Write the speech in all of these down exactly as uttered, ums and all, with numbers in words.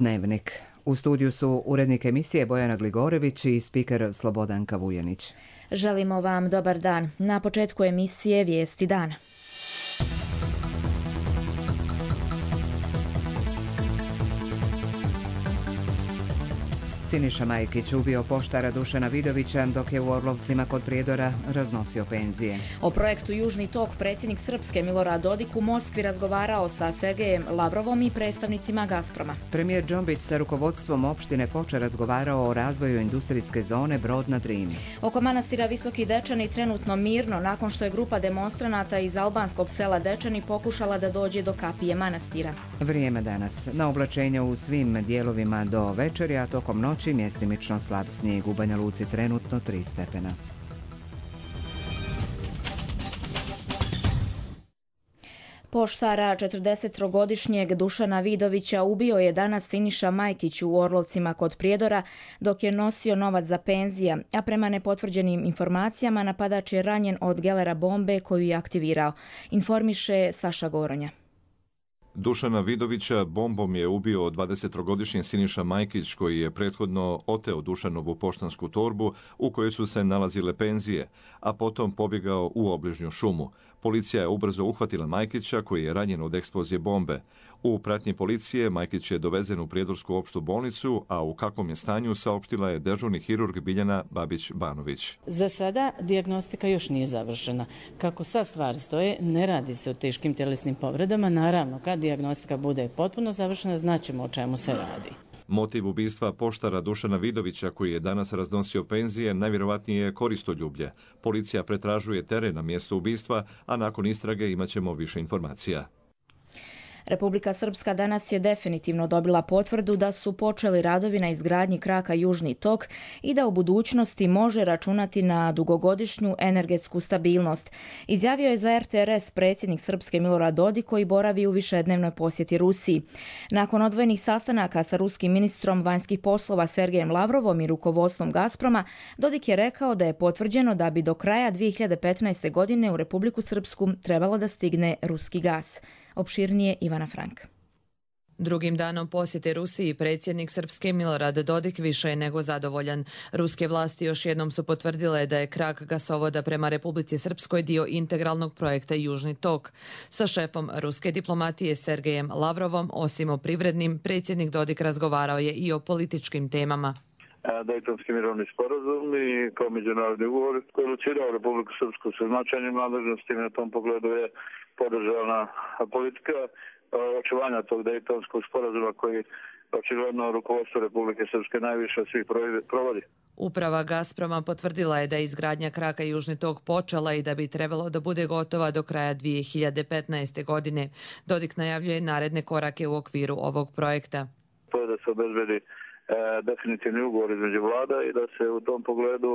Dnevnik. U studiju su urednik emisije Bojana Gligorević i spiker Slobodanka Vujanić. Želimo vam dobar dan. Na početku emisije Vijesti dana. Siniša Majkić ubio poštara Dušana Vidovića dok je u Orlovcima kod Prijedora raznosio penzije. O projektu Južni tok predsjednik Srpske Milorad Dodik u Moskvi razgovarao sa Sergejem Lavrovom i predstavnicima Gazproma. Premijer Džombić sa rukovodstvom opštine Foča razgovarao o razvoju industrijske zone Brod na Drini. Oko manastira Visoki Dečani trenutno mirno nakon što je grupa demonstranata iz albanskog sela Dečani pokušala da dođe do kapije manastira. Vrijeme danas. Na oblačenje u svim dijelovima do večeri, a tokom noći mjestimično slab snijeg. U Banja Luci trenutno tri stepena. Poštara četrdesettrogodišnjeg Dušana Vidovića ubio je danas Siniša Majkić u Orlovcima kod Prijedora dok je nosio novac za penzije, a prema nepotvrđenim informacijama napadač je ranjen od gelera bombe koju je aktivirao. Informiše Saša Goronja. Dušana Vidovića bombom je ubio dvadesettrogodišnji Siniša Majkić koji je prethodno oteo Dušanovu poštansku torbu u kojoj su se nalazile penzije, a potom pobjegao u obližnju šumu. Policija je ubrzo uhvatila Majkića koji je ranjen od eksplozije bombe. U pratnji policije Majkić je dovezen u Prijedorsku opštu bolnicu, a u kakvom je stanju saopštila je dežurni hirurg Biljana Babić-Banović. Za sada dijagnostika još nije završena. Kako sad stvari stoje, ne radi se o teškim tjelesnim povredama. Naravno, kad dijagnostika bude potpuno završena, znaćemo o čemu se radi. Motiv ubistva poštara Dušana Vidovića, koji je danas raznosio penzije, najvjerovatnije je koristoljublje. Policija pretražuje teren na mjesto ubistva, a nakon istrage imaćemo više informacija. Republika Srpska danas je definitivno dobila potvrdu da su počeli radovi na izgradnji kraka Južni tok i da u budućnosti može računati na dugogodišnju energetsku stabilnost. Izjavio je za er te er es predsjednik Srpske Milorad Dodik koji boravi u višednevnoj posjeti Rusiji. Nakon odvojenih sastanaka sa ruskim ministrom vanjskih poslova Sergejem Lavrovom i rukovodstvom Gazproma, Dodik je rekao da je potvrđeno da bi do kraja dvije hiljade petnaeste. godine u Republiku Srpsku trebalo da stigne ruski gas. Opširnije Ivana Frank. Drugim danom posjete Rusiji predsjednik Srpske Milorad Dodik više je nego zadovoljan. Ruske vlasti još jednom su potvrdile da je krak gasovoda prema Republici Srpskoj dio integralnog projekta Južni tok. Sa šefom ruske diplomatije Sergejem Lavrovom, osim o privrednim, predsjednik Dodik razgovarao je i o političkim temama. Dejtonski mirovni sporazum i kao međunarodni ugovor koji je locirao Republiku Srpsku sa značajnim nadležnostima, na tom pogledu je podržana politika očuvanja tog Dejtonskog sporazuma koji očigledno rukovodstvo Republike Srpske najviše od svih provodi. Uprava Gazproma potvrdila je da je izgradnja kraka Južni tok počela i da bi trebalo da bude gotova do kraja dvije hiljade petnaeste. godine. Dodik najavljuje naredne korake u okviru ovog projekta. To je da se obezbedi definitivni ugovor između vlada i da se u tom pogledu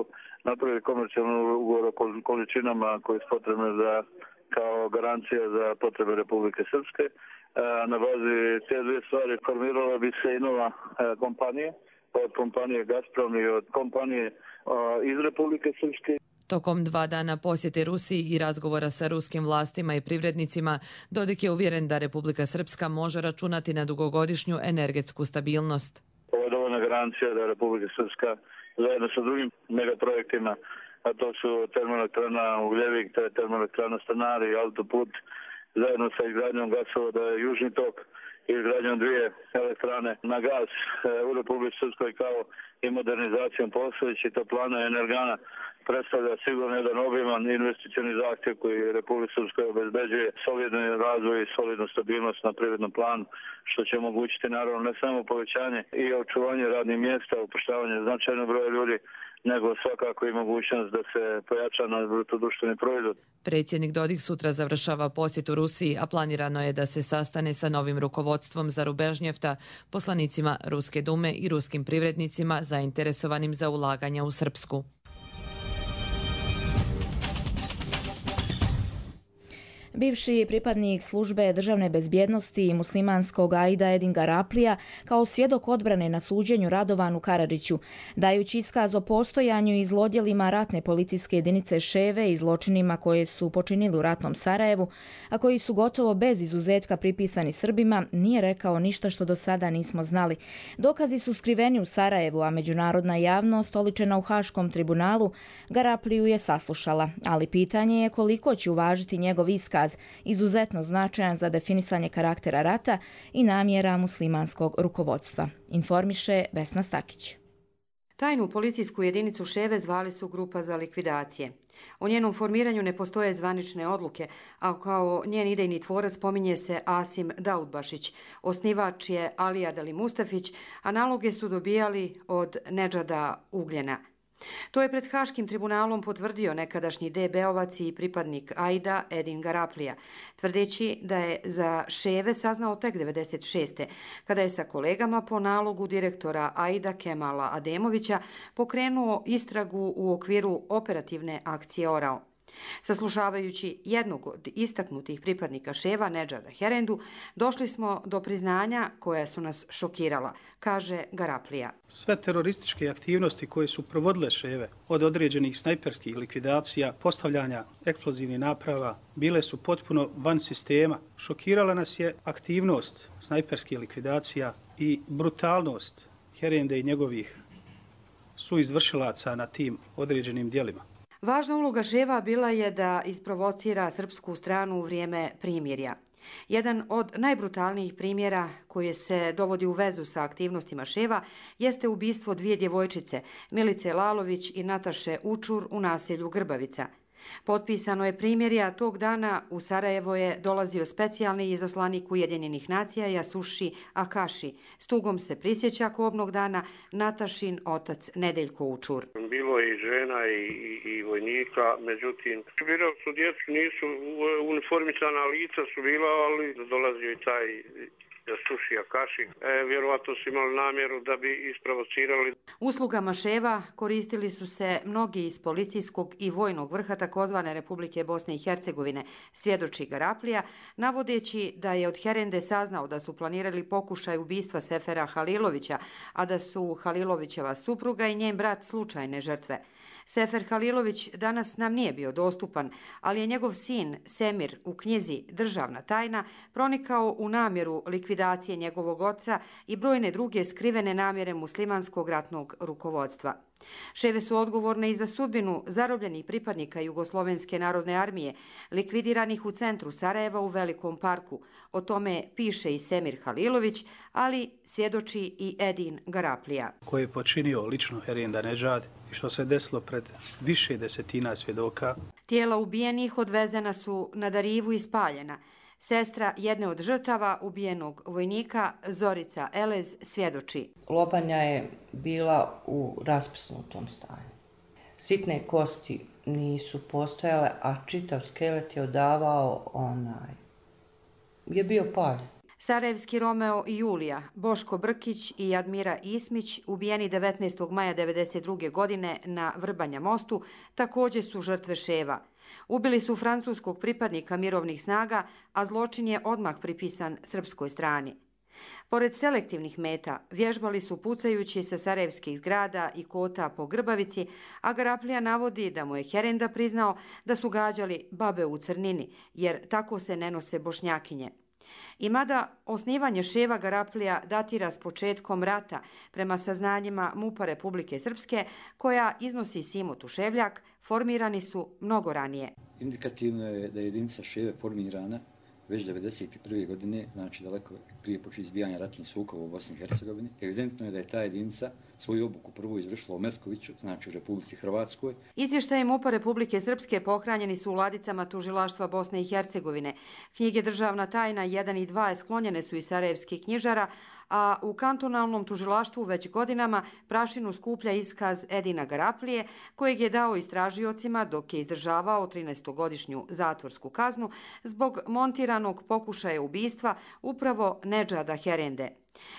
napravi komercijalni ugovor o količinama koje su potrebne za, kao garancija za potrebe Republike Srpske. Na bazi te dvije stvari formirala bi se i nova kompanija, od kompanije Gazprom i od kompanije iz Republike Srpske. Tokom dva dana posjete Rusiji i razgovora sa ruskim vlastima i privrednicima, Dodik je uvjeren da Republika Srpska može računati na dugogodišnju energetsku stabilnost. Ovo je dovoljna garancija da Republika Srpska zajedno sa drugim megaprojektima, a to su termoelektrana Ugljevik, to je termoelektrana Stanari, autoput, zajedno sa izgradnjom gasovoda Južni tok i izgradnjom dvije elektrane na gaz u Republici Srpskoj kao i modernizacijom postojećih toplana i energana predstavlja sigurno jedan obiman investicioni zahtjev koji Republika Srpska obezbeđuje solidni razvoj i solidnu stabilnost na privrednom planu, što će omogućiti naravno ne samo povećanje i očuvanje radnih mjesta, upošljavanje značajnog broja ljudi, nego svakako i mogućnost da se pojača na bruto društveni proizvod. Predsjednik Dodik sutra završava posjet u Rusiji, a planirano je da se sastane sa novim rukovodstvom Zarubežnjefta, poslanicima Ruske dume i ruskim privrednicima zainteresovanim za ulaganja u Srpsku. Bivši pripadnik službe državne bezbjednosti i muslimanskog Aida Edin Garaplija kao svjedok odbrane na suđenju Radovanu Karadžiću, dajući iskaz o postojanju i zlodjelima ratne policijske jedinice Ševe i zločinima koje su počinili u ratnom Sarajevu, a koji su gotovo bez izuzetka pripisani Srbima, nije rekao ništa što do sada nismo znali. Dokazi su skriveni u Sarajevu, a međunarodna javnost, oličena u Haškom tribunalu, Garapliju je saslušala, ali pitanje je koliko će uvažiti njegov iskaz, izuzetno značajan za definisanje karaktera rata i namjera muslimanskog rukovodstva. Informiše Vesna Stakić. Tajnu policijsku jedinicu Ševe zvali su Grupa za likvidacije. O njenom formiranju ne postoje zvanične odluke, a kao njen idejni tvorac spominje se Asim Daudbašić. Osnivač je Alija Dali Mustafić, a naloge su dobijali od Nedžada Ugljena. To je pred Haškim tribunalom potvrdio nekadašnji D B-ovac i pripadnik Aida Edin Garaplija, tvrdeći da je za Ševe saznao tek devedeset šeste. kada je sa kolegama po nalogu direktora Aida Kemala Ademovića pokrenuo istragu u okviru operativne akcije Orao. Saslušavajući jednog od istaknutih pripadnika Ševa, Nedžada Herendu, došli smo do priznanja koja su nas šokirala, kaže Garaplija. Sve terorističke aktivnosti koje su provodile Ševe, od određenih snajperskih likvidacija, postavljanja eksplozivnih naprava, bile su potpuno van sistema. Šokirala nas je aktivnost snajperskih likvidacija i brutalnost Herende i njegovih suizvršilaca na tim određenim dijelima. Važna uloga Ševa bila je da isprovocira srpsku stranu u vrijeme primirja. Jedan od najbrutalnijih primjera koji se dovodi u vezu sa aktivnostima Ševa jeste ubistvo dvije djevojčice, Milice Lalović i Nataše Učur u naselju Grbavica. Potpisano je primjerja, tog dana u Sarajevo je dolazio specijalni izaslanik Ujedinjenih nacija Jasuši Akaši. S tugom se prisjeća kobnog dana Natašin otac Nedeljko Učur. Bilo je i žena i, i, i vojnika, međutim, birali su djecu, nisu uniformisana lica su bila, ali dolazio i taj Jasuši Akaši. E, vjerovatno su imali namjeru da bi isprovocirali. Uslugama Ševa koristili su se mnogi iz policijskog i vojnog vrha takozvane Republike Bosne i Hercegovine, svjedoči Garaplija, navodeći da je od Herende saznao da su planirali pokušaj ubistva Sefera Halilovića, a da su Halilovićeva supruga i njen brat slučajne žrtve. Sefer Halilović danas nam nije bio dostupan, ali je njegov sin Semir u knjizi Državna tajna pronikao u namjeru likvidacije njegovog oca i brojne druge skrivene namjere muslimanskog ratnog rukovodstva. Ševe su odgovorne i za sudbinu zarobljenih pripadnika Jugoslovenske narodne armije, likvidiranih u centru Sarajeva u Velikom parku. O tome piše i Semir Halilović, ali svjedoči i Edin Garaplija. Koji je počinio lično Herenda Nedžad i što se desilo pred više desetina svjedoka. Tijela ubijenih odvezena su na Darivu i spaljena. Sestra jedne od žrtava ubijenog vojnika, Zorica Elez, svjedoči. Lobanja je bila u raspsnutom stanju. Sitne kosti nisu postojale, a čitav skelet je odavao onaj. Je bio paljen. Sarajevski Romeo i Julija, Boško Brkić i Admira Ismić, ubijeni devetnaestog maja devedeset druge. godine na Vrbanja mostu, također su žrtve Ševa. Ubili su francuskog pripadnika mirovnih snaga, a zločin je odmah pripisan srpskoj strani. Pored selektivnih meta, vježbali su pucajući sa sarajevskih zgrada i kota po Grbavici, a Garaplija navodi da mu je Herenda priznao da su gađali babe u crnini, jer tako se ne nose Bošnjakinje. I mada osnivanje Ševa Garaplija datira s početkom rata, prema saznanjima MUP-a Republike Srpske, koja iznosi Simo Tuševljak, formirani su mnogo ranije. Indikativno je da je jedinica Ševe formirana već devedeset prve. godine, znači daleko prije početka izbijanja ratnih sukoba u Bosni i Hercegovini. Evidentno je da je ta jedinica svoju obuku prvo izvršila u Metkoviću, znači u Republici Hrvatskoj. Izvještaje MUP-a Republike Srpske pohranjeni su u ladicama tužilaštva Bosne i Hercegovine. Knjige Državna tajna jedan i dva sklonjene su iz sarajevskih knjižara, a u kantonalnom tužilaštvu već godinama prašinu skuplja iskaz Edina Garaplije, kojeg je dao istražiocima dok je izdržavao trinaestogodišnju zatvorsku kaznu zbog montiranog pokušaja ubistva upravo Nedžada Herende.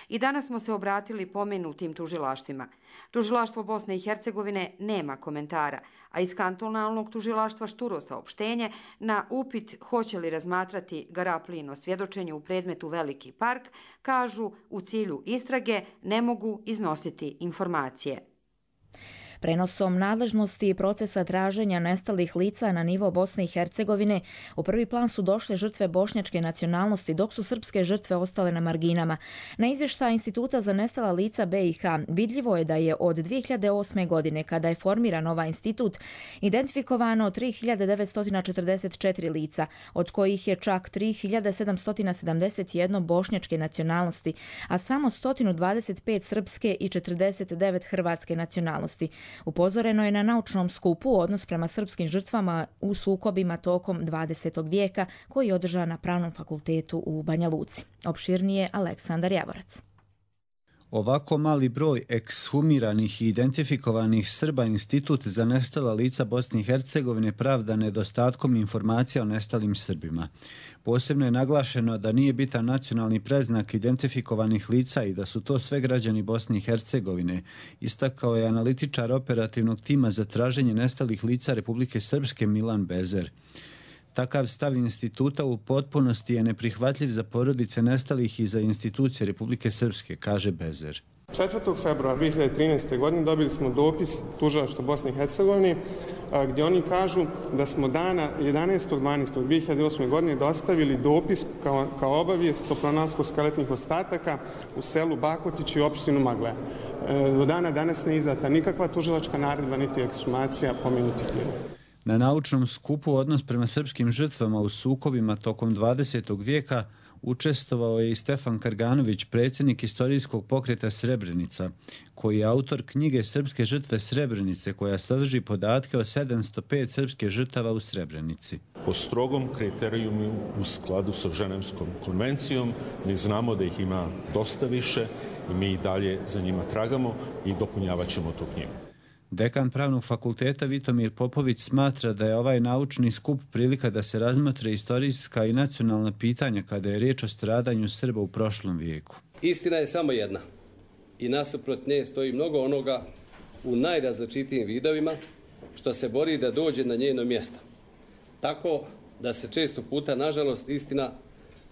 I danas smo se obratili pomenutim tužilaštvima. Tužilaštvo Bosne i Hercegovine nema komentara, a iz kantonalnog tužilaštva šturo saopštenje na upit hoće li razmatrati Garaplijino svjedočenje u predmetu Veliki park, kažu u cilju istrage ne mogu iznositi informacije. Prenosom nadležnosti i procesa traženja nestalih lica na nivo Bosne i Hercegovine u prvi plan su došle žrtve bošnjačke nacionalnosti, dok su srpske žrtve ostale na marginama. Na izvještaj Instituta za nestala lica B i H vidljivo je da je od dvije hiljade osme. godine, kada je formiran ovaj institut, identifikovano tri hiljade devetsto četrdeset četiri lica, od kojih je čak tri hiljade sedamsto sedamdeset jedan bošnjačke nacionalnosti, a samo sto dvadeset pet srpske i četrdeset devet hrvatske nacionalnosti. Upozoreno je na naučnom skupu odnos prema srpskim žrtvama u sukobima tokom dvadesetog vijeka koji je održan na Pravnom fakultetu u Banja Luci. Opširnije Aleksandar Javorac. Ovako mali broj ekshumiranih i identifikovanih Srba Institut za nestala lica Bosne i Hercegovine pravda nedostatkom informacija o nestalim Srbima. Posebno je naglašeno da nije bitan nacionalni predznak identifikovanih lica i da su to sve građani Bosne i Hercegovine, istakao je analitičar operativnog tima za traženje nestalih lica Republike Srpske Milan Bezer. Takav stav instituta u potpunosti je neprihvatljiv za porodice nestalih i za institucije Republike Srpske, kaže Bezer. četvrtog februara dvije hiljade trinaeste. godine dobili smo dopis Tužilaštva Bosne i Hercegovine gdje oni kažu da smo dana jedanaestog dvanaestog dvije hiljade osme. godine dostavili dopis kao, kao obavijest o pronalasku skeletnih ostataka u selu Bakotići i opštinu Magle. Do dana danas ne izdata nikakva tužilačka naredba niti ekshumacija pomenutih tijela. Na naučnom skupu odnos prema srpskim žrtvama u sukobima tokom dvadesetog vijeka učestvovao je i Stefan Karganović, predsjednik istorijskog pokreta Srebrenica, koji je autor knjige Srpske žrtve Srebrenice, koja sadrži podatke o sedamsto pet srpske žrtava u Srebrenici. Po strogom kriterijumu u skladu sa Ženevskom konvencijom mi znamo da ih ima dosta više i mi i dalje za njima tragamo i dopunjavat ćemo tu knjigu. Dekan Pravnog fakulteta Vitomir Popović smatra da je ovaj naučni skup prilika da se razmotre istorijska i nacionalna pitanja kada je riječ o stradanju Srba u prošlom vijeku. Istina je samo jedna i nasuprot nje stoji mnogo onoga u najrazličitijim vidovima što se bori da dođe na njeno mjesto. Tako da se često puta, nažalost, istina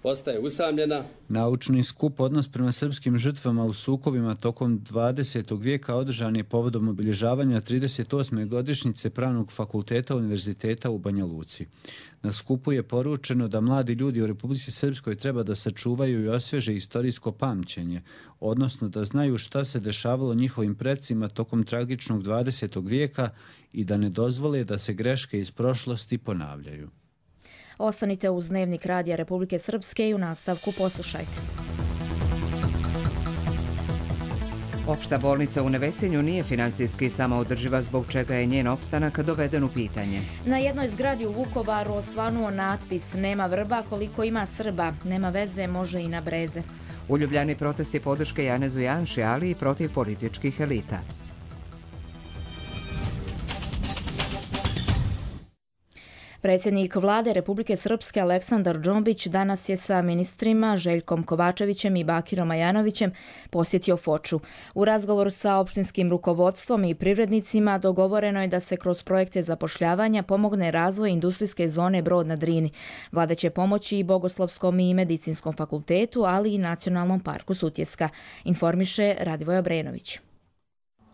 postaje usamljena. Naučni skup odnos prema srpskim žrtvama u sukobima tokom dvadesetog vijeka održan je povodom obilježavanja trideset osme godišnjice Pravnog fakulteta Univerziteta u Banja Luci. Na skupu je poručeno da mladi ljudi u Republici Srpskoj treba da sačuvaju i osvježe istorijsko pamćenje, odnosno da znaju šta se dešavalo njihovim precima tokom tragičnog dvadesetog vijeka i da ne dozvole da se greške iz prošlosti ponavljaju. Ostanite uz Dnevnik Radija Republike Srpske i u nastavku poslušajte. Opšta bolnica u Nevesinju nije financijski samoodrživa, zbog čega je njen opstanak doveden u pitanje. Na jednoj zgradi u Vukovaru osvanuo natpis "Nema vrba koliko ima Srba, nema veze, može i na breze". U Ljubljani protesti podrške Janezu Janši, ali i protiv političkih elita. Predsjednik vlade Republike Srpske Aleksandar Džombić danas je sa ministrima Željkom Kovačevićem i Bakirom Ajanovićem posjetio Foču. U razgovoru sa opštinskim rukovodstvom i privrednicima dogovoreno je da se kroz projekte zapošljavanja pomogne razvoj industrijske zone Brod na Drini. Vlada će pomoći i Bogoslovskom i Medicinskom fakultetu, ali i Nacionalnom parku Sutjeska, informiše Radivoj Obrenović.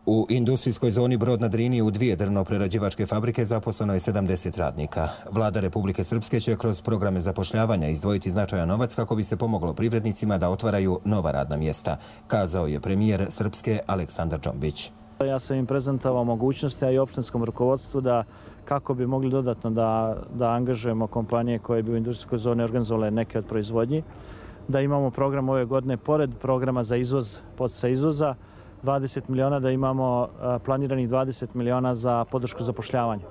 U industrijskoj zoni Brod na Drini u dvije drvno-prerađivačke fabrike zaposleno je sedamdeset radnika. Vlada Republike Srpske će kroz programe zapošljavanja izdvojiti značajan novac kako bi se pomoglo privrednicima da otvaraju nova radna mjesta, kazao je premijer Srpske Aleksandar Džombić. Ja sam im prezentovao mogućnosti, a i opštinskom rukovodstvu, da kako bi mogli dodatno da, da angažujemo kompanije koje bi u industrijskoj zoni organizovale neke od proizvodnji, da imamo program ove godine pored programa za izvoz, podsticaj izvoza, dvadeset miliona, da imamo planiranih dvadeset miliona za podršku zapošljavanja.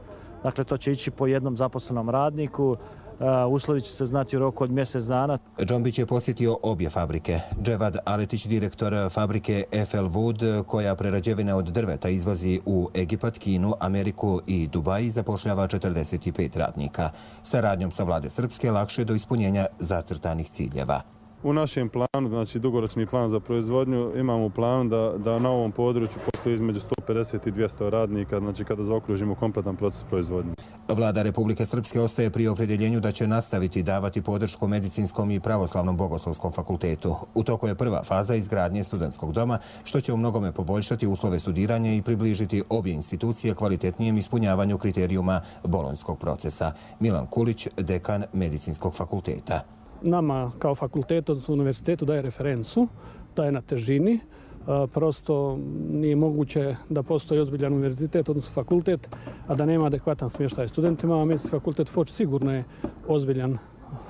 Dakle, to će ići po jednom zaposlenom radniku, uslovi će se znati u roku od mjesec dana. Džombić je posjetio obje fabrike. Dževad Aletić, direktor fabrike F L Wood, koja prerađevine od drveta izvozi u Egipat, Kinu, Ameriku i Dubai, zapošljava četrdeset pet radnika. Saradnjom sa vlade Srpske lakše do ispunjenja zacrtanih ciljeva. U našem planu, znači dugoročni plan za proizvodnju, imamo u planu da, da na ovom području postoji između sto pedeset i dvjesto radnika, znači kada zaokružimo kompletan proces proizvodnje. Vlada Republike Srpske ostaje pri opredjeljenju da će nastaviti davati podršku Medicinskom i Pravoslavnom Bogoslovskom fakultetu. U toku je prva faza izgradnje studentskog doma, što će u mnogome poboljšati uslove studiranja i približiti obje institucije kvalitetnijem ispunjavanju kriterijuma bolonjskog procesa. Milan Kulić, dekan Medicinskog fakulteta. Nama kao fakultetu, odnosno univerzitetu, daje referencu, da je na težini. Prosto nije moguće da postoji ozbiljan univerzitet, odnosno fakultet, a da nema adekvatan smještaj studentima, a Medicinski fakultet Foč sigurno je ozbiljan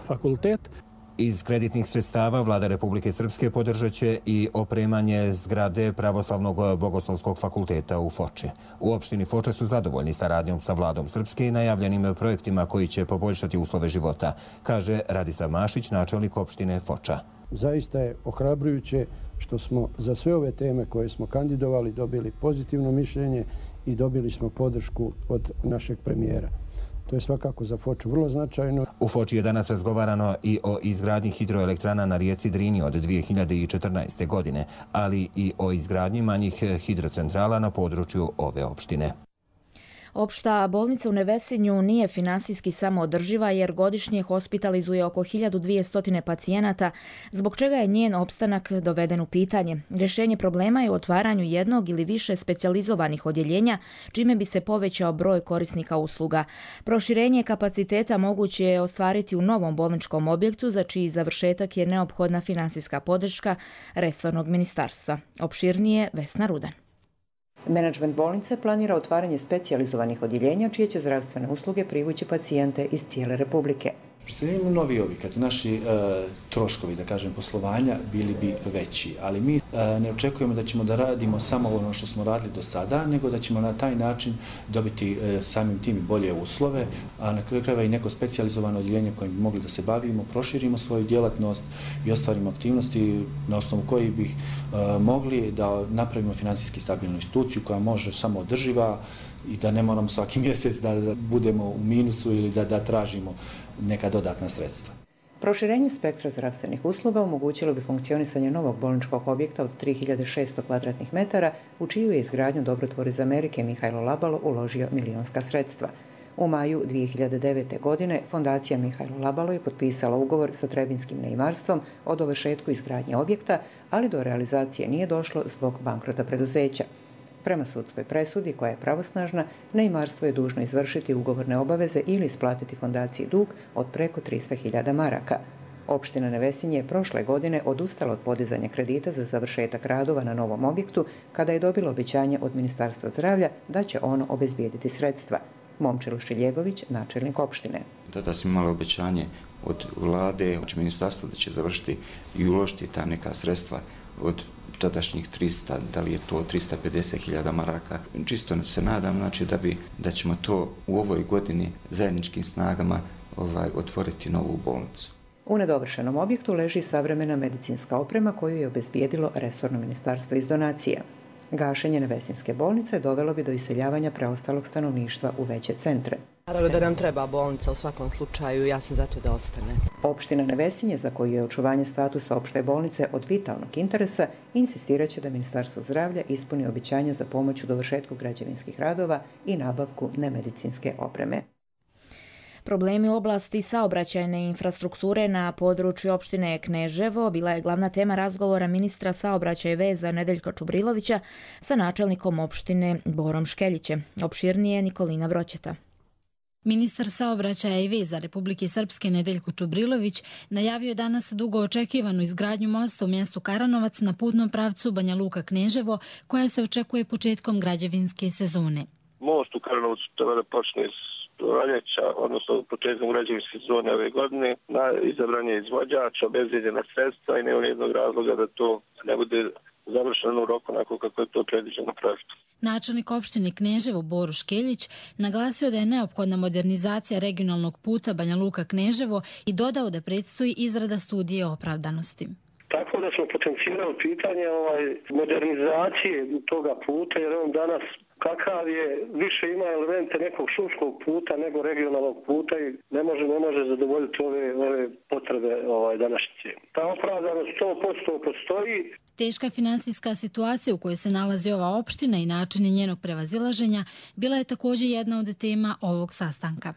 fakultet. Iz kreditnih sredstava Vlada Republike Srpske podržat će i opremanje zgrade Pravoslavnog Bogoslovskog fakulteta u Foči. U opštini Foča su zadovoljni saradnjom sa Vladom Srpske i najavljenim projektima koji će poboljšati uslove života, kaže Radislav Mašić, načelnik opštine Foča. Zaista je ohrabrujuće što smo za sve ove teme koje smo kandidovali dobili pozitivno mišljenje i dobili smo podršku od našeg premijera. To je svakako za Foču vrlo značajno. U Foči je danas razgovarano i o izgradnji hidroelektrana na rijeci Drini od dvije hiljade četrnaeste. godine, ali i o izgradnji manjih hidrocentrala na području ove opštine. Opšta bolnica u Nevesinju nije finansijski samoodrživa jer godišnje hospitalizuje oko hiljadu dvjesto pacijenata, zbog čega je njen opstanak doveden u pitanje. Rješenje problema je u otvaranju jednog ili više specijalizovanih odjeljenja, čime bi se povećao broj korisnika usluga. Proširenje kapaciteta moguće je ostvariti u novom bolničkom objektu, za čiji završetak je neophodna finansijska podrška resornog ministarstva. Opširnije Vesna Rudan. Menadžment bolnice planira otvaranje specijalizovanih odjeljenja čije će zdravstvene usluge privući pacijente iz cijele Republike. Predstavljamo novi objekat, naši e, troškovi, da kažem, poslovanja bili bi veći, ali mi e, ne očekujemo da ćemo da radimo samo ono što smo radili do sada, nego da ćemo na taj način dobiti e, samim tim bolje uslove, a na kraju krajeva i neko specijalizovano odjeljenje kojim bi mogli da se bavimo, proširimo svoju djelatnost i ostvarimo aktivnosti na osnovu kojih bih e, mogli da napravimo finansijski stabilnu instituciju koja može samo održiva i da ne moramo svaki mjesec da, da budemo u minusu ili da, da tražimo neka dodatna sredstva. Proširenje spektra zdravstvenih usluga omogućilo bi funkcionisanje novog bolničkog objekta od tri hiljade šesto kvadratnih metara, u čiju je izgradnju dobrotvor iz Amerike Mihajlo Labalo uložio milionska sredstva. U maju dvije hiljade devete. godine fondacija Mihajlo Labalo je potpisala ugovor sa Trebinskim neimarstvom o dovršetku izgradnje objekta, ali do realizacije nije došlo zbog bankrota preduzeća. Prema sudskoj presudi, koja je pravosnažna, neimarstvo je dužno izvršiti ugovorne obaveze ili isplatiti fondaciji dug od preko tristo hiljada maraka. Opština Nevesinje je prošle godine odustala od podizanja kredita za završetak radova na novom objektu kada je dobilo obećanje od Ministarstva zdravlja da će ono obezbijediti sredstva. Momčilo Šiljegović, načelnik opštine. Tada smo imali obećanje od vlade, od ministarstva da će završiti i uložiti ta neka sredstva od tadašnjih trista, da li je to tristo pedeset hiljada maraka. Čisto se nadam, znači, da, bi, da ćemo to u ovoj godini zajedničkim snagama ovaj, otvoriti novu bolnicu. U nedovršenom objektu leži savremena medicinska oprema koju je obezbijedilo resorno ministarstvo iz donacija. Gašenje Nevesinske bolnice dovelo bi do iseljavanja preostalog stanovništva u veće centre. Naravno da nam treba bolnica u svakom slučaju, ja sam zato da ostane. Opština Nevesinje, za koju je očuvanje statusa opšte bolnice od vitalnog interesa, insistiraće da Ministarstvo zdravlja ispuni obećanja za pomoć u dovršetku građevinskih radova i nabavku nemedicinske opreme. Problemi u oblasti saobraćajne infrastrukture na području opštine Kneževo bila je glavna tema razgovora ministra saobraćaja i veza Nedeljka Čubrilovića sa načelnikom opštine Borom Škeljićem. Opširnije Nikolina Broćeta. Ministar saobraćaja i veza Republike Srpske Nedeljko Čubrilović najavio je danas dugo očekivanu izgradnju mosta u mjestu Karanovac na putnom pravcu Banja Luka Kneževo, koja se očekuje početkom građevinske sezone. Most u Karanovcu treba da počne proljeća, odnosno početkom građevinske sezone ove godine. Na izabran je izvođač, obezbijeđena sredstva i nema nijednog razloga da to ne bude završeno u roku onako kako je to predviđeno projektom. Načelnik opštine Kneževo Boro Škeljić naglasio da je neophodna modernizacija regionalnog puta Banja Luka Kneževo i dodao da predstoji izrada studije opravdanosti. Tako da smo potencijali pitanje ovaj, modernizacije toga puta, jer on danas kakav je, više ima elemente nekog šumskog puta nego regionalnog puta i ne može, ne može zadovoljiti ove, ove potrebe ovaj, današnjice. Ta opravdanost sto posto postoji. Teška finansijska situacija u kojoj se nalazi ova opština i načini njenog prevazilaženja bila je također jedna od tema ovog sastanka.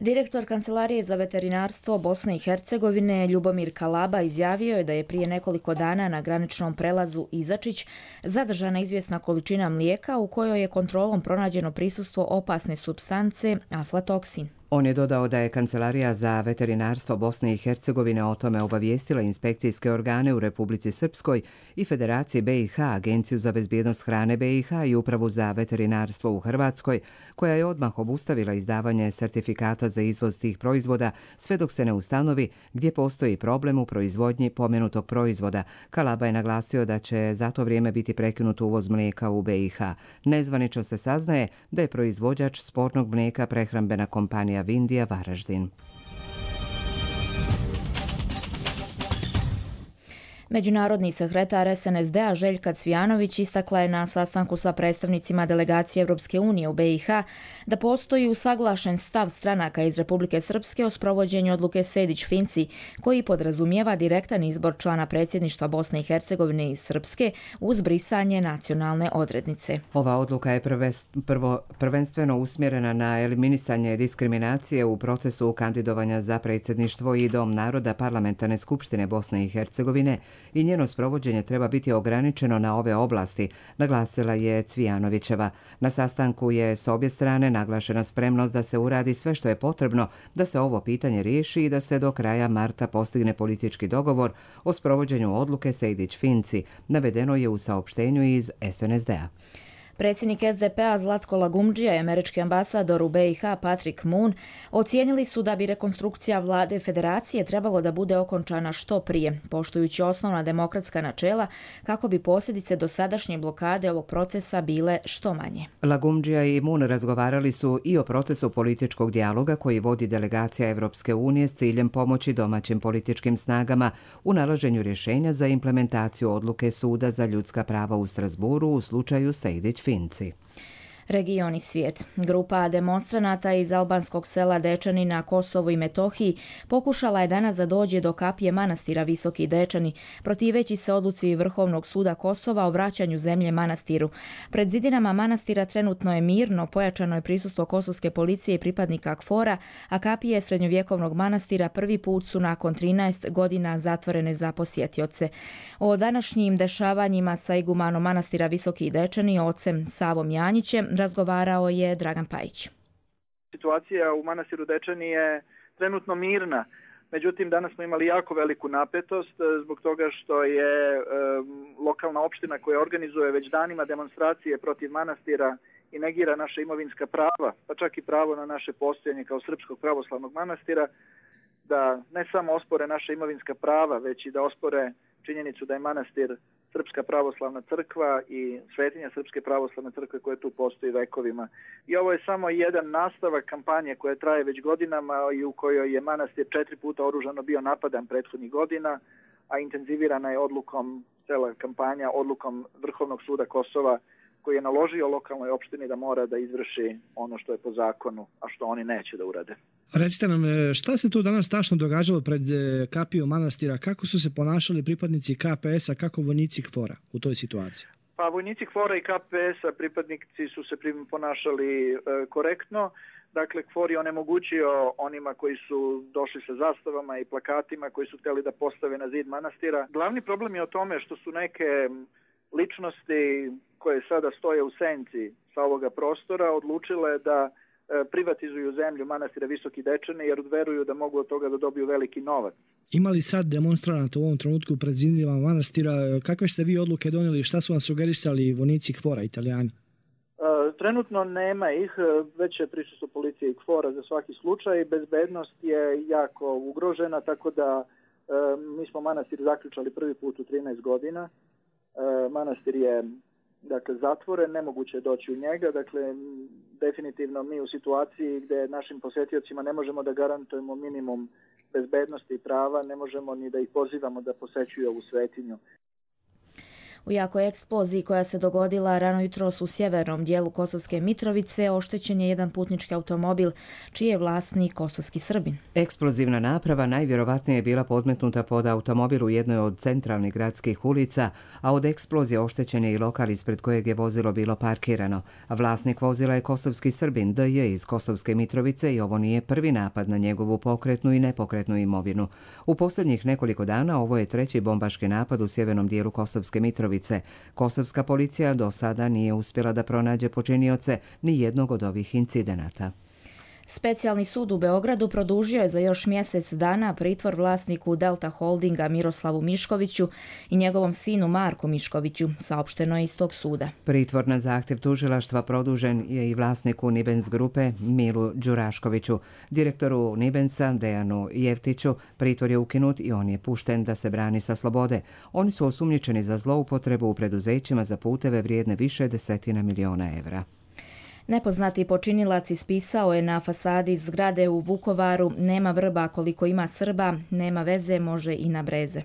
Direktor Kancelarije za veterinarstvo Bosne i Hercegovine Ljubomir Kalaba izjavio je da je prije nekoliko dana na graničnom prelazu Izačić zadržana izvjesna količina mlijeka u kojoj je kontrolom pronađeno prisustvo opasne supstance aflatoksin. On je dodao da je Kancelarija za veterinarstvo Bosne i Hercegovine o tome obavijestila inspekcijske organe u Republici Srpskoj i Federaciji B i H, Agenciju za bezbjednost hrane B i H i Upravu za veterinarstvo u Hrvatskoj, koja je odmah obustavila izdavanje sertifikata za izvoz tih proizvoda sve dok se ne ustanovi gdje postoji problem u proizvodnji pomenutog proizvoda. Kalaba je naglasio da će za to vrijeme biti prekinut uvoz mlijeka u B i H. Nezvanično se saznaje da je proizvođač spornog mlijeka prehrambena kompanija Vindija Varaždin. Međunarodni sekretar S N S D-a Željka Cvijanović istakla je na sastanku sa predstavnicima delegacije Europske unije u B i H da postoji usaglašen stav stranaka iz Republike Srpske o sprovođenju odluke Sejdić-Finci, koji podrazumijeva direktan izbor člana predsjedništva Bosne i Hercegovine iz Srpske uz brisanje nacionalne odrednice. Ova odluka je prvo prvenstveno usmjerena na eliminisanje diskriminacije u procesu kandidovanja za predsjedništvo i Dom naroda Parlamentarne skupštine Bosne i Hercegovine i njeno sprovođenje treba biti ograničeno na ove oblasti, naglasila je Cvijanovićeva. Na sastanku je s obje strane naglašena spremnost da se uradi sve što je potrebno da se ovo pitanje riješi i da se do kraja marta postigne politički dogovor o sprovođenju odluke Sejdić-Finci, navedeno je u saopštenju iz S N S D-a. Predsjednik S D P-a Zlatko Lagumdžija i američki ambasador u B i H Patrick Moon ocijenili su da bi rekonstrukcija vlade federacije trebalo da bude okončana što prije, poštujući osnovna demokratska načela kako bi posljedice dosadašnje blokade ovog procesa bile što manje. Lagumdžija i Moon razgovarali su i o procesu političkog dijaloga koji vodi delegacija Evropske unije s ciljem pomoći domaćim političkim snagama u nalaženju rješenja za implementaciju odluke Suda za ljudska prava u Strasburu u slučaju Sejdić Finci. Region i svijet. Grupa demonstranata iz albanskog sela Dečani na Kosovu i Metohiji pokušala je danas da dođe do kapije manastira Visoki Dečani, protiveći se odluci Vrhovnog suda Kosova o vraćanju zemlje manastiru. Pred zidinama manastira trenutno je mirno, pojačano je prisustvo kosovske policije i pripadnika KFOR-a, a kapije srednjovjekovnog manastira prvi put su nakon trinaest godina zatvorene za posjetioce. O današnjim dešavanjima sa igumanom manastira Visoki Dečani, ocem Savom Janjićem, razgovarao je Dragan Pajić. Situacija u manastiru Dečani je trenutno mirna, međutim danas smo imali jako veliku napetost zbog toga što je e, lokalna opština koja organizuje već danima demonstracije protiv manastira i negira naše imovinska prava, pa čak i pravo na naše postojanje kao Srpskog pravoslavnog manastira, da ne samo ospore naše imovinska prava, već i da ospore činjenicu da je manastir Srpska pravoslavna crkva i svetinja Srpske pravoslavne crkve koja tu postoji vekovima. I ovo je samo jedan nastavak kampanje koja traje već godinama i u kojoj je manastir četiri puta oružano bio napadan prethodnih godina, a intenzivirana je odlukom, cela kampanja, odlukom Vrhovnog suda Kosova koji je naložio lokalnoj opštini da mora da izvrši ono što je po zakonu, a što oni neće da urade. Recite nam, šta se tu danas tačno događalo pred kapijom manastira? Kako su se ponašali pripadnici K P S-a, kako vojnici KFOR-a u toj situaciji? Pa vojnici KFOR-a i K P S-a pripadnici su se ponašali e, korektno. Dakle, KFOR je onemogućio onima koji su došli sa zastavama i plakatima koji su htjeli da postave na zid manastira. Glavni problem je o tome što su neke ličnosti koje sada stoje u senci sa ovoga prostora odlučile da privatizuju zemlju manastira Visoki Dečani jer veruju da mogu od toga da dobiju veliki novac. Ima li sad demonstranata u ovom trenutku pred zidinama manastira? Kakve ste vi odluke donijeli? Šta su vam sugerisali vojnici KFOR-a, Italijani? Trenutno nema ih, već je prisustvo policije i KFOR-a za svaki slučaj. Bezbednost je jako ugrožena, tako da mi smo manastir zaključali prvi put u trinaest godina. Manastir je dakle zatvoren, nemoguće je doći u njega, dakle definitivno mi u situaciji gdje našim posjetiocima ne možemo da garantujemo minimum bezbednosti i prava, ne možemo ni da ih pozivamo da posećuju ovu svetinju. U jakoj eksploziji koja se dogodila rano jutros u sjevernom dijelu Kosovske Mitrovice oštećen je jedan putnički automobil čiji je vlasnik kosovski Srbin. Eksplozivna naprava najvjerovatnije je bila podmetnuta pod automobil u jednoj od centralnih gradskih ulica, a od eksplozije oštećen je i lokal ispred kojeg je vozilo bilo parkirano. Vlasnik vozila je kosovski Srbin D J iz Kosovske Mitrovice i ovo nije prvi napad na njegovu pokretnu i nepokretnu imovinu. U posljednjih nekoliko dana ovo je treći bombaški napad u sjevernom dijelu Kosovske Mitrovice. Kosovska policija do sada nije uspjela da pronađe počinioce ni jednog od ovih incidenata. Specijalni sud u Beogradu produžio je za još mjesec dana pritvor vlasniku Delta Holdinga Miroslavu Miškoviću i njegovom sinu Marku Miškoviću, saopšteno je iz tog suda. Pritvor na zahtjev tužilaštva produžen je i vlasniku Nibens grupe Milu Đuraškoviću. Direktoru Nibensa Dejanu Jevtiću pritvor je ukinut i on je pušten da se brani sa slobode. Oni su osumnjičeni za zloupotrebu u preduzećima za puteve vrijedne više desetina miliona evra. Nepoznati počinilac ispisao je na fasadi zgrade u Vukovaru: nema vrba koliko ima Srba, nema veze može i na breze.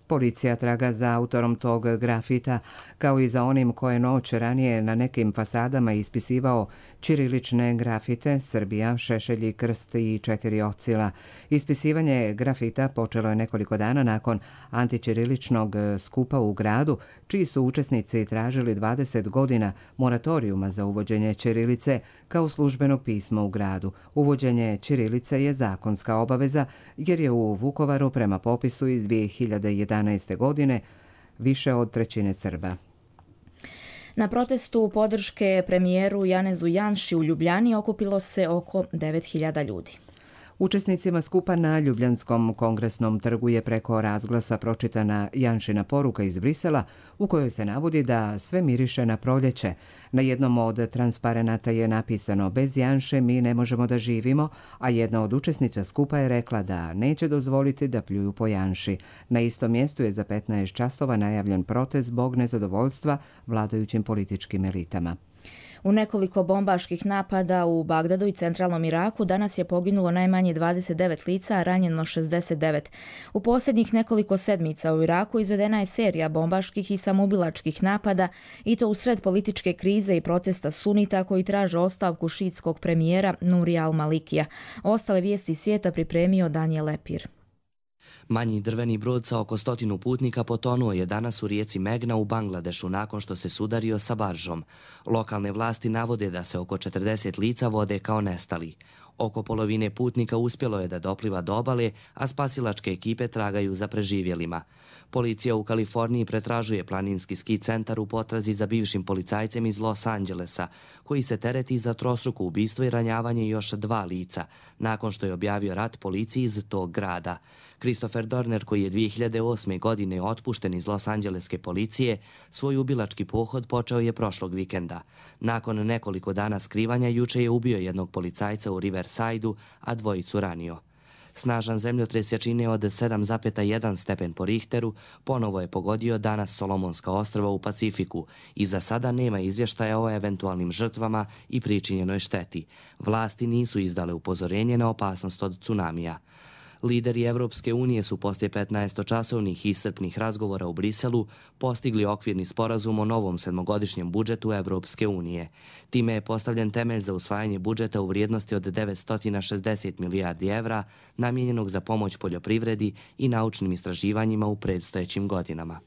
Policija traga za autorom tog grafita, kao i za onim koje noć ranije na nekim fasadama ispisivao ćirilične grafite Srbija, šešelji, krst i četiri ocila. Ispisivanje grafita počelo je nekoliko dana nakon antićiriličnog skupa u gradu, čiji su učesnici tražili dvadeset godina moratorijuma za uvođenje ćirilice kao službeno pismo u gradu. Uvođenje ćirilice je zakonska obaveza jer je u Vukovaru prema popisu iz dvije hiljade jedanaeste. godine više od trećine Srba. Na protestu podrške premijeru Janezu Janši u Ljubljani okupilo se oko devet hiljada ljudi. Učesnicima skupa na Ljubljanskom kongresnom trgu je preko razglasa pročitana Janšina poruka iz Brisela u kojoj se navodi da sve miriše na proljeće. Na jednom od transparenata je napisano: bez Janše mi ne možemo da živimo, a jedna od učesnica skupa je rekla da neće dozvoliti da pljuju po Janši. Na istom mjestu je za petnaest časova najavljen protest zbog nezadovoljstva vladajućim političkim elitama. U nekoliko bombaških napada u Bagdadu i centralnom Iraku danas je poginulo najmanje dvadeset devet lica, a ranjeno šezdeset devet. U posljednjih nekoliko sedmica u Iraku izvedena je serija bombaških i samoubilačkih napada, i to usred političke krize i protesta sunita koji traže ostavku šiitskog premijera Nurija al-Malikija. Ostale vijesti svijeta pripremio Daniel Lepir. Manji drveni brod sa oko stotinu putnika potonuo je danas u rijeci Megna u Bangladešu nakon što se sudario sa baržom. Lokalne vlasti navode da se oko četrdeset lica vode kao nestali. Oko polovine putnika uspjelo je da dopliva do obale, a spasilačke ekipe tragaju za preživjelima. Policija u Kaliforniji pretražuje planinski ski centar u potrazi za bivšim policajcem iz Los Angelesa, koji se tereti za trostruko ubistvo i ranjavanje još dva lica, nakon što je objavio rat policiji iz tog grada. Christopher Dorner, koji je dvije hiljade osme. godine otpušten iz Los Angeleske policije, svoj ubilački pohod počeo je prošlog vikenda. Nakon nekoliko dana skrivanja, juče je ubio jednog policajca u Riverside-u, a dvojicu ranio. Snažan zemljotres jačine od sedam zarez jedan stepen po Richteru ponovo je pogodio danas Solomonska ostrva u Pacifiku i za sada nema izvještaja o eventualnim žrtvama i pričinjenoj šteti. Vlasti nisu izdale upozorenje na opasnost od tsunamija. Lideri Evropske unije su poslije petnaestočasovnih iscrpnih razgovora u Briselu postigli okvirni sporazum o novom sedmogodišnjem budžetu Evropske unije. Time je postavljen temelj za usvajanje budžeta u vrijednosti od devetsto šezdeset milijardi evra namijenjenog za pomoć poljoprivredi i naučnim istraživanjima u predstojećim godinama.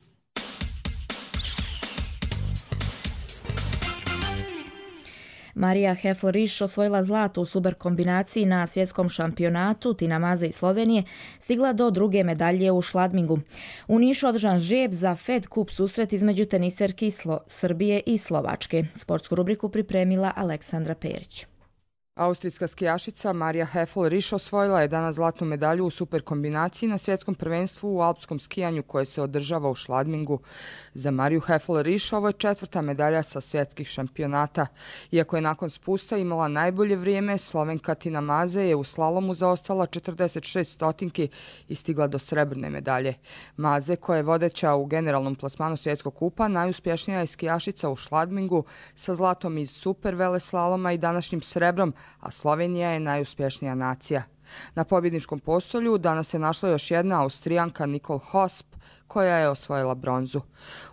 Marija Hefl-Riš osvojila zlato u super kombinaciji na svjetskom šampionatu. Tina Maze iz Slovenije stigla do druge medalje u Šladmingu. U Nišu održan žreb za Fed Cup susret između teniserki Slo- Srbije i Slovačke. Sportsku rubriku pripremila Aleksandra Perić. Austrijska skijašica Marija Hefl-Riš osvojila je danas zlatnu medalju u super kombinaciji na svjetskom prvenstvu u alpskom skijanju koje se održava u Šladmingu. Za Mariju Hefl-Riš ovo je četvrta medalja sa svjetskih šampionata. Iako je nakon spusta imala najbolje vrijeme, Slovenka Tina Maze je u slalomu zaostala četrdeset šest stotinki i stigla do srebrne medalje. Maze, koja je vodeća u generalnom plasmanu svjetskog kupa, najuspješnija je skijašica u Šladmingu sa zlatom iz super veleslaloma i današnjim srebrom, a Slovenija je najuspješnija nacija. Na pobjedničkom postolju danas se našla još jedna Austrijanka Nicole Hosp, koja je osvojila bronzu.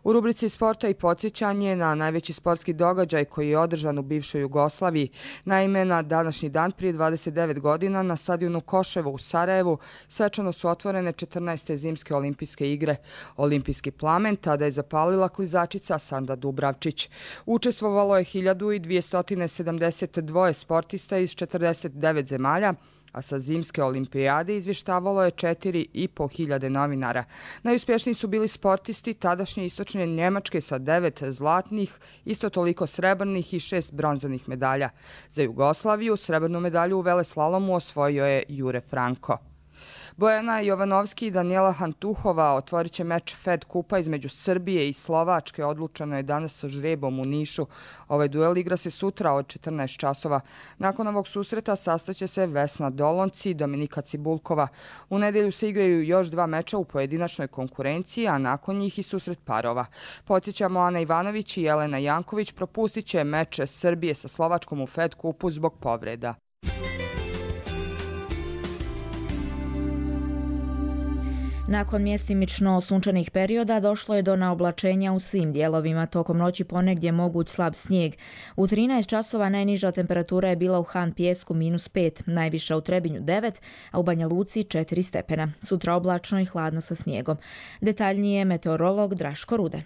U rubrici sporta i podsjećanje na najveći sportski događaj koji je održan u bivšoj Jugoslaviji. Naime, na današnji dan prije dvadeset devet godina na stadionu Koševo u Sarajevu svečano su otvorene četrnaeste zimske olimpijske igre. Olimpijski plamen tada je zapalila klizačica Sanda Dubravčić. Učestvovalo je hiljadu dvjesto sedamdeset dva sportista iz četrdeset devet zemalja, a sa zimske olimpijade izvještavalo je četiri i po hiljade novinara. Najuspješniji su bili sportisti tadašnje istočne Njemačke sa devet zlatnih, isto toliko srebrnih i šest bronzanih medalja. Za Jugoslaviju srebrnu medalju u veleslalomu osvojio je Jure Franko. Bojana Jovanovski i Danijela Hantuhova otvorit će meč Fed kupa između Srbije i Slovačke. Odlučeno je danas sa žrebom u Nišu. Ovaj duel igra se sutra od četrnaest časova. Nakon ovog susreta sastaće se Vesna Dolonci i Dominika Cibulkova. U nedjelju se igraju još dva meča u pojedinačnoj konkurenciji, a nakon njih i susret parova. Podsjećamo, Ana Ivanović i Jelena Janković propustit će meč Srbije sa Slovačkom u Fed kupu zbog povreda. Nakon mjestimično sunčanih perioda došlo je do naoblačenja u svim dijelovima. Tokom noći ponegdje moguć slab snijeg. U trinaest časova najniža temperatura je bila u Han Pijesku minus pet, najviša u Trebinju devet, a u Banja Luci četiri stepena. Sutra oblačno i hladno sa snijegom. Detaljnije meteorolog Draško Rudan.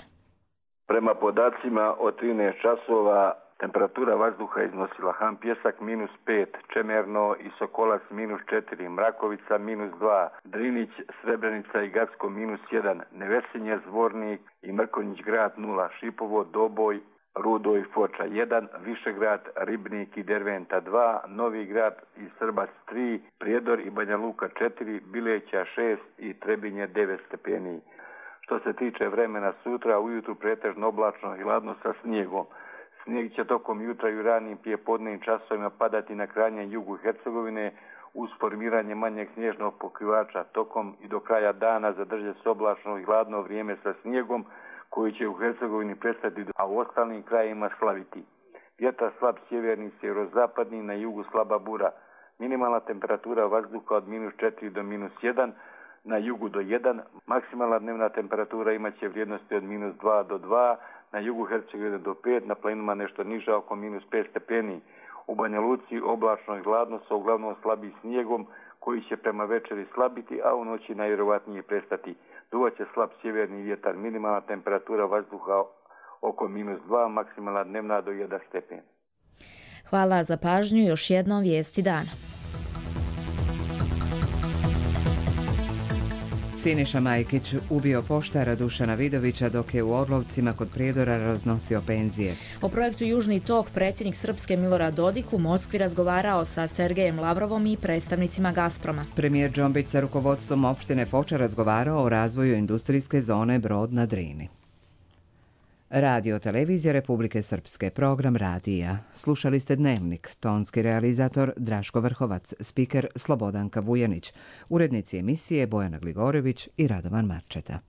Prema podacima od trinaest časova temperatura vazduha iznosila Han Pijesak minus pet, Čemerno i Sokolac minus četiri, Mrakovica minus dva, Drinić, Srebrenica i Gacko minus jedan, Nevesinje, Zvornik i Mrkonjić grad nula, Šipovo, Doboj, Rudo i Foča jedan, Višegrad, Ribnik i Derventa dva, Novi grad i Srbac tri, Prijedor i Banja Luka četiri, Bileća šest i Trebinje devet stepeni. Što se tiče vremena sutra, ujutru pretežno oblačno i hladno sa snijegom. Snijeg će tokom jutra i u ranim prijepodnevnim časovima padati na krajnjem jugu Hercegovine uz formiranje manjeg snježnog pokrivača. Tokom i do kraja dana zadrže se oblačno i hladno vrijeme sa snijegom koji će u Hercegovini prestati, a u ostalim krajima slaviti. Vjetar slab sjeverni, sjeverozapadni, na jugu slaba bura. Minimalna temperatura vazduha od minus četiri do minus jedan, na jugu do jedan. Maksimalna dnevna temperatura imaće vrijednosti od minus dva do dva, na jugu Hercegovine do pet, na planinama nešto niže oko minus pet stepeni. U Banja Luci oblačno i hladno sa uglavnom slabim snijegom koji će prema večeri slabiti, a u noći najvjerovatnije prestati. Duvaće slab sjeverni vjetar, minimalna temperatura vazduha oko minus dva, maksimalna dnevna do jedan stepen. Hvala za pažnju, još jednom vijesti dana. Siniša Majkić ubio poštara Dušana Vidovića dok je u Orlovcima kod Prijedora raznosio penzije. O projektu Južni tok predsjednik Srpske Milorad Dodik u Moskvi razgovarao sa Sergejem Lavrovom i predstavnicima Gazproma. Premijer Džombić sa rukovodstvom opštine Foča razgovarao o razvoju industrijske zone Brod na Drini. Radio televizija Republike Srpske, program radija. Slušali ste Dnevnik, tonski realizator Draško Vrhovac, spiker Slobodanka Vujanić, urednici emisije Bojana Gligorević i Radovan Marčeta.